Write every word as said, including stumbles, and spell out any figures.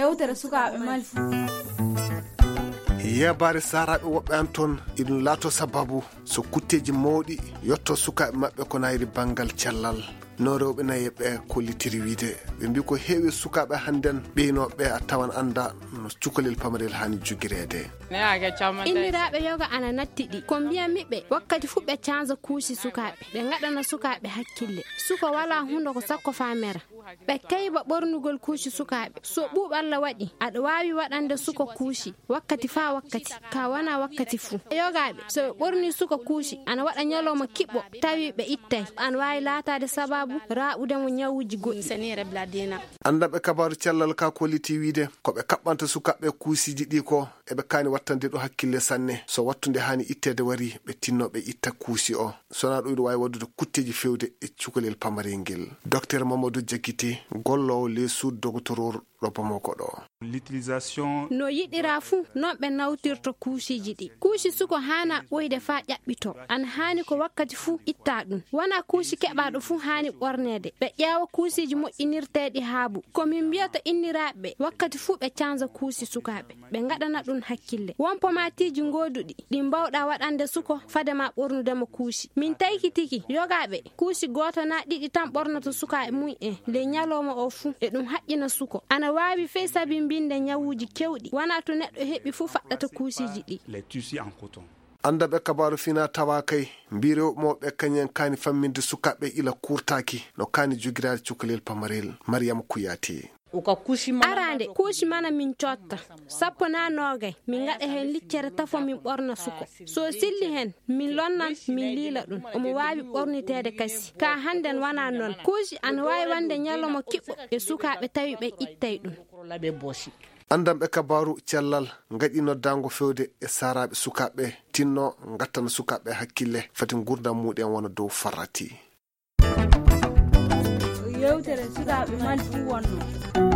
Yewtere sukaaɓe Mali fuu. Yeebaare saaraaɓe woɓɓe an ton, iɗum laatoo sabaabu so kutteeji mawɗi yottoo sukaaɓe maɓɓe ko naayri banngal cellal. No rewɓe nayeeɓe ɓee kollitiri wiyde, ɓe mbii ko heewi e sukaaɓe hannden ɓeynooɓe ɓee a tawan anndaa no cukalel pamarel haani jogireede. Inniraaɓe yoga ana natti ɗi. Ko mbiyan mi ɓe, wakkati fuu ɓe caanza kuusi sukaaɓe, ɓe ngaɗana sukaaɓe hakkille. Suka walaa hundo ko sakko faa mera. Ɓe kayba ɓornugol kuusi sukaaɓe. So ɓuuɓo Alla waɗi, aɗa waawi waɗande suka kuusi wakkati faa wakkati, kaa wanaa wakkati fuu. Yogaaɓe, so ɓe ɓornii suka kuusi, ana waɗa ñalooma kiɓɓo, tawi ɓe ittay. Ana waawi laataade sabaabu raaɓude mo ñawuuji goɗɗi. Anndanɓe kabaaru cellal kaa kollitii wiyde, ko ɓe kaɓɓanta sukaaɓe kuusiiji ɗii koo, eɓe kaani wattande ɗum hakkille sanne. So wattunde haani itteede warii, ɓe tinnoo ɓe itta kuusi oo. So wanaa ɗum, iɗum waawi waɗude kutteeji feewde e cukalel pamarel ngel. Dokteer Mamadou Diakité, golloowo ley suudu dogotoroor ɗo Bamako ɗoo. No yiɗiraa fuu, non ɓe nawtirta kuusiiji ɗii. Kuusi suka haanaa ɓooyde faa ƴaɓɓitoo. Ana haani ko wakkati fuu ittaa ɗum. Wanaa kuusi keɓaaɗo fuu haani ɓorneede. Ɓe ƴeewa kuusiiji moƴƴinirteeɗi haabu. Ko min mbiyata inniraaɓe ɓee, wakkati fuu ɓe caanza kuusi sukaaɓe. Ɓe ngaɗana ɗum hakkille. Won pomaatiiji gooduɗi ɗi mbaawɗaa waɗande suka fade maa ɓornude mo kuusi. Min taykitike yogaaɓe kuusi gooto naa ɗiɗi tan ɓornoto sukaaɓe mum en ley ñalooma oo fuu. Eɗum haƴƴina suka. Ana waawi fey sabimbinde ñawuuji keewɗi. Wanaa to neɗɗo heɓi fuu faɗɗata kuusiiji ɗii. Anndanɓe kabaaru finaa tawaa kay mbii rewɓe mawɓe ɓee kañum en kaani famminde sukaaɓe ɓee ila kuurtaaki no kaani jogiraade cukalel pamarel. Mariyama Kuyaate. Araande, kuusi mana min cootta, sappo naa noogay, min ngaɗa heen liccere tafo min ɓorna suka. So o selli heen, min lonnan, min liila ɗum. Omo waawi ɓorniteede kasi. Kaa hannden wanaa noon. Kuusi ana waawi wonde ñalawma kiɓɓo e sukaaɓe tawi ɓe ittay ɗum. Anndanɓe kabaaru cellal ngaɗii noddaango feewde e saaraaɓe sukaaɓe, tinnoo ngattana sukaaɓe hakkille, fati nguurndam muuɗum en wona dow farrati. Yewtere sukaaɓe Mali fuu wonnoo.